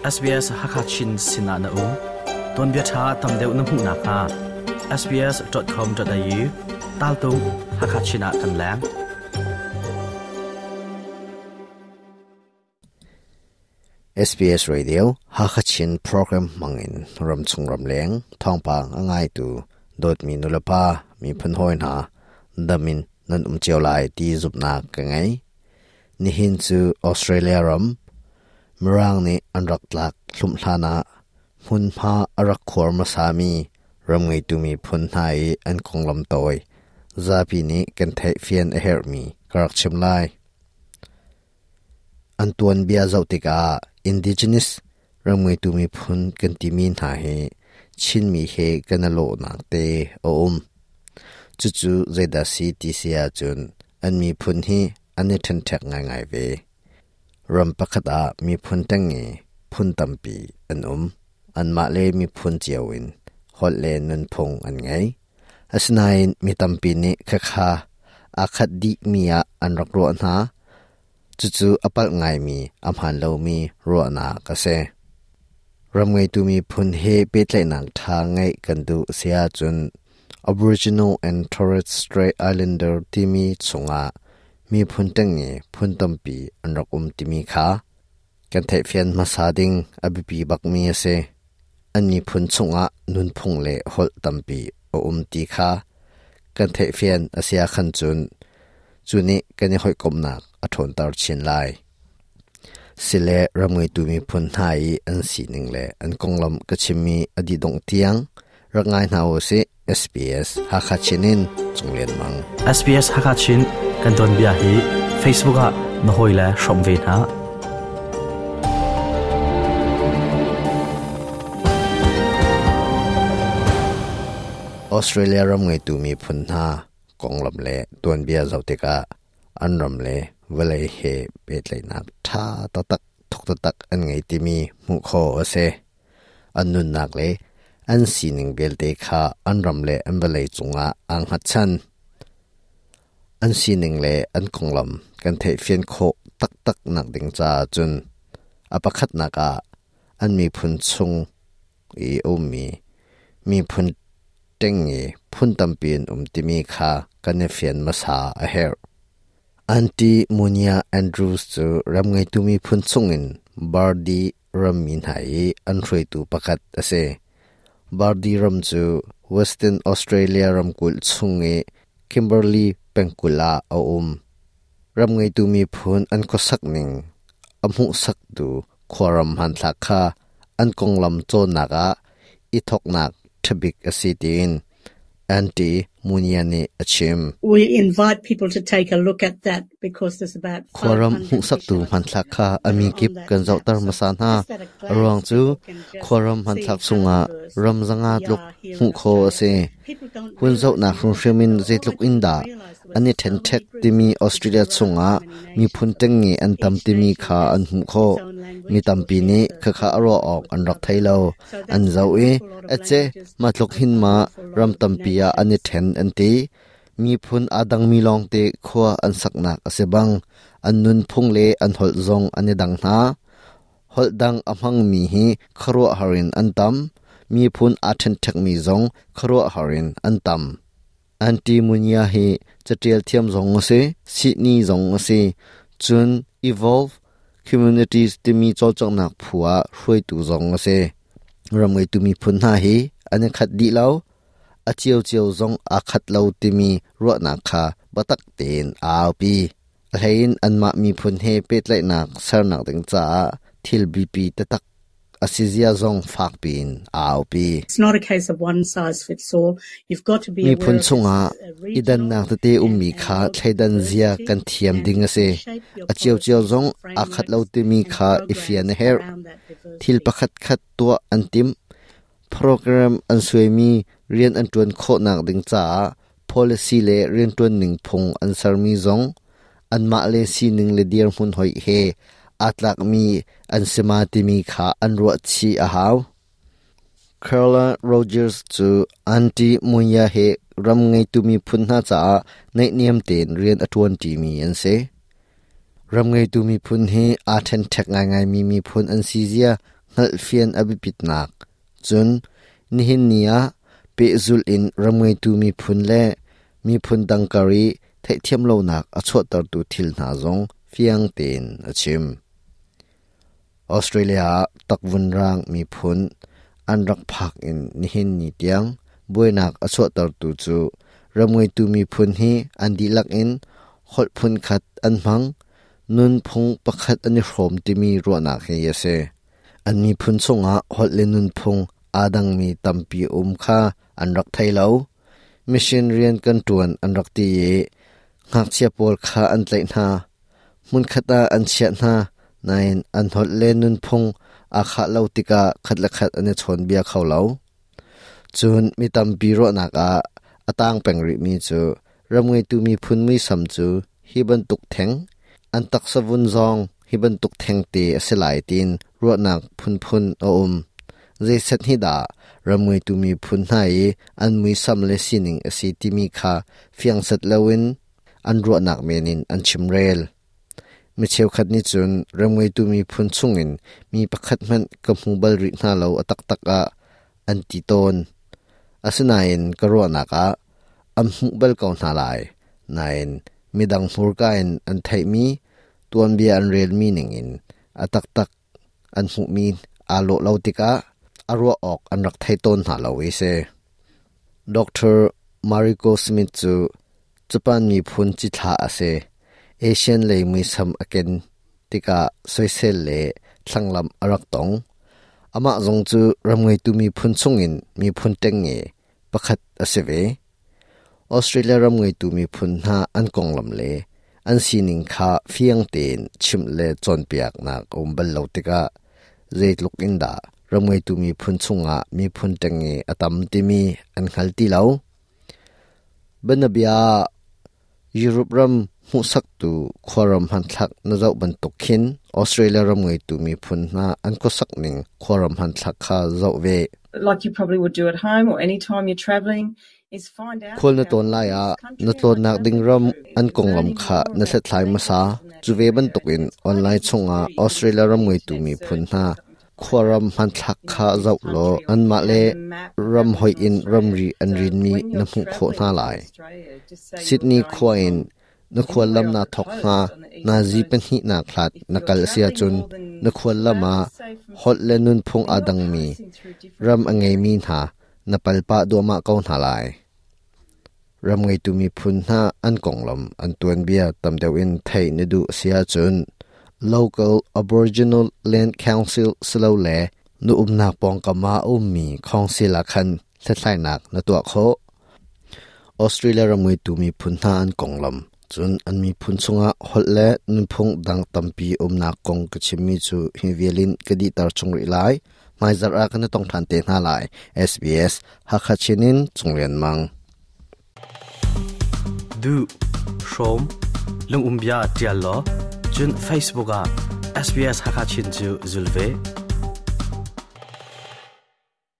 SBS Hakachin sinah na um. Tuanbia ṭha tam deuh na hmuh nakhnga sbs.com.au tal tung Hakachin ah kan leng. SBS Radio Hakachin program hmangin ramchung ramleng thawngpang a ngaitu dawtmi nulepa miphun hawi hna damin nan um cio lai ti zumhnak ka ngei. Nihin cu Australia ram Mirang nih an rak tlak hlumh hlan ah hmunhma a rak khuar hmasami ram ngeitu miphun hna i an konglam tawi zapi nih kan theihfian a herhmi ka rak chim lai. An tuanbia zoh tikah Indigenous ram ngeitu miphun kan timi hna hi Chinmi he kan i lawhnak te a um. Cucu zeidah si ti si ahcun an miphun hi an i ṭhenṭhek ngaingai ve. Ram pakhat ah miphun ṭengnge phun tampi an um. Anmah le miphun cio in holh le nunphung an ngei. Asinain mi tampi nih khakha aa khat dihmi ah an rak ruah hna. Cucu a palh ngaimi, a hmaan lomi ruahnak a si. Ram ngeitu miphun he pehtlaihnak ṭha ngeih kan duh si ahcun Aboriginal and Torres Strait Islander timi chungah miphun ṭengnge phun tampi an rak um timi kha kan theihfian hmasa ding a biapi bakmi a si. An miphun chungah nunphung le holh tampi a um ti kha kan theihfian a si ahkhan cun cu nih kan i hawikomhnak a ṭhawnter chin lai. Sile ram ngeitu miphun hna i an sining le an konglam ka chimmi a dih dongh tiang rak ngai hna u sih. SBS Hakha Chin in Cung Lian Mang. SBS Hakha Chin kan tuanbia hi Facebook ah na hawile hrawm ve hna. Australia ram ngeitu miphun hna konglam le tuanbia zoh tikah an ram le vawlei he pehtlaihnak ṭha taktak thuk taktak an ngei timi hmuh khawh a si. An nunnak le an sining vialte kha an ram le an vawlei cungah aa hngatchan. An sining le an konglam kan theihfian khawh taktak nak ding caah cun a pakhatnak ah an miphun chung i a ummi miphun ṭengnge phun tampi an um timi kha kan i fian hmasa a herh. Aunty Munia Andrews cu ram ngeitu miphun chungin Bardi rammi hna i an hruaitu pakhat a si. Bardi ram cu Western Australia ramkulh chung i Kimberley pengkulh ah a um. Ram ngeitu miphun an khuasak ning a hmuhsaktu khuaram hmanthlak kha an konglam cawnnak ah i thawknak ṭhabik a si tiin Aunty Munia nih a chim. We invite people to take a look at that because there's about Khuaram hmuhsaktu hmanthlak kha a mi kip kan zohter hmasa hna. A ruang cu khuaram hmanthlak chungah ram zanga tluk hmuh khawh a si. Hun zohnak hrimhrim in zeitluk in dah an i ṭhenṭhek timi Australia chungah miphun ṭengnge an tam timi kha an hmuh khawh. Mi tampi nih khakha a ruah awk an rak thei lo. An zoh i, ace, mah tluk hin ma ram tampi ah an i ṭhen an ti. Miphun aa dangmi lawngte khua an saknak a si bang, an nunphung le an holh zong an i dang hna. Holh dang a hmangmi hi khuaruahhar in an tam. Miphun aa ṭhenṭhekmi zong khuaruahhar in an tam. Aunty Munya hi caṭial thiam zong a si, sihni zong a si. Cun Evolve Communities timi cawlcanghnak phu ah hruaitu zong a si. Ram ngeitu miphun hna hi an i khat dih lo. A ciocio zong aa khat lo timi ruahnak kha biatak tein a aupi. A hleiin anmah miphun he pehtlaihnak sernak ding caah thil biapi taktak a si zia zong fakpi in a aupi. It's not a case of one size fits all. You've got to be Miphun chungah i dannak tete ummi kha thleidan zia kan thiam ding a si. A ciocio zong aa khat lo timi kha i fian a herh. Thil pakhat khat tuah an timh. Program an suaimi rian an ṭuan khawhnak ding caah policy le rianṭuan ning phung an sermi zong anmah le sining le dirhmun hoih he aa tlakmi an si ma timi kha an ruah chih a hau. Carla Rogers cu Aunty Munya he ram ngeitu miphun hna caah naihniam tein rian a ṭuanṭimi an si. Ram ngeitu miphun hi aa ṭhenṭhek ngaingaimi miphun an si zia hngalhfian a biapitnak, cun nihin ni ah pehzulh in ram ngeitu miphun le miphun dang kar i theihthiam lonak a chuahtertu thil hna zong fiang tein a chim. Australia ah takvun raang miphun an rak phak in nihin ni tiang buainak a chuahtertu cu ram ngeitu miphun hi an dihlak in holh phunkhat an hmang, nunphung pakhat an i hrawm timi ruahnak hi a si. An miphun chungah holh le nunphung aa dangmi tampi um kha an rak thei lo. Mission rian kan ṭuan an rak ti i ngakchia pawl kha an tlaih hna. Hmunkhat ah an chiah hna, nain an holh le nunphung aa khah lo tikah khat le khat an i chawnbia kho lo. Cun mi tampi ruahnak ah a tang peng rihmi cu ram ngeitu miphun muisam cu hi bantuk theng, an taksa vun zong hi bantuk thengte a si lai tiin ruahnak phunphun a um. Zeiset hi dah ram ngeitu miphun hna i an muisam le sining a si timi kha fiang set loin an ruahnak men in an chimrel. Mi cheukhat nih cun ram ngeitu miphun chungin mi pakhat hmanh ka hmu bal rih hna lo a taktak ah an ti tawn. Asinain ka ruahnak ah an hmuh bal ko hna lai. Nain midang hmurka in an theihmi tuanbia an relmi ningin a taktak an hmuhmi aa lawh lo tikah a ruah awk an rak thei tawn hna lo i si. Dr. Mariko Smith cu Japan miphun cithlah a si. Asian lei muisam a ken tikah soisel le thlanglamh a rak tong. Amah zong cu ram ngeitu miphun chungin miphun ṭengnge pakhat a si ve. Australia ram ngeitu miphun hna an konglam le an sining kha fiang tein chimh le cawnpiaknak a um bal lo tikah zeitluk in dah ram ngeitu miphun chungah miphun ṭengnge a tam timi an hngal ti lo. Bianabia ah Europe ram hmuhsaktu khuaram hmanthlak na zoh bantuk khin Australia ram ngeitu miphun hna an khuasak ning khuaram hmanthlak kha zoh ve. Like you probably would do at home or any time you're traveling, is find out Khual na tlawn lai ah na tlawnnak ding ram an konglam kha na hlathlai hmasa. Cu ve bantukin online chungah Australia ram ngeitu miphun hna khuaram hmanthlak kha zoh law anmah le ram hoih in ramri an rinmi na hmuh khawh hna lai. Sydney khua in na khuallam naa thawk hnga nazi pahnihnak hlat na kal a si ahcun na khuallam ah holh le nunphung aa dangmi ram a ngeimi hna na pal pah duahmah ko hna lai. Ram ngeitu miphun hna an konglam an tuanbia tam deuh in theih na duh a si ahcun Local Aboriginal Land Council silole na umnak pawngkam ah a ummi council ah khan hlathlainak na tuah khawh. Australia ram ngeitu miphun hna an konglam, cun an miphun chungah holh le nunphung dang tampi umnak kong ka chimmi cu hi vial in ka dihter chung rih lai. Hmaizarh ah kan i tong ṭhan te hna lai. SBS Hakha Chin in Cung Lian Mang. Duh, hrawm, lungum bia ṭial law, cun Facebook ah SBS Hakha Chin cu zul ve.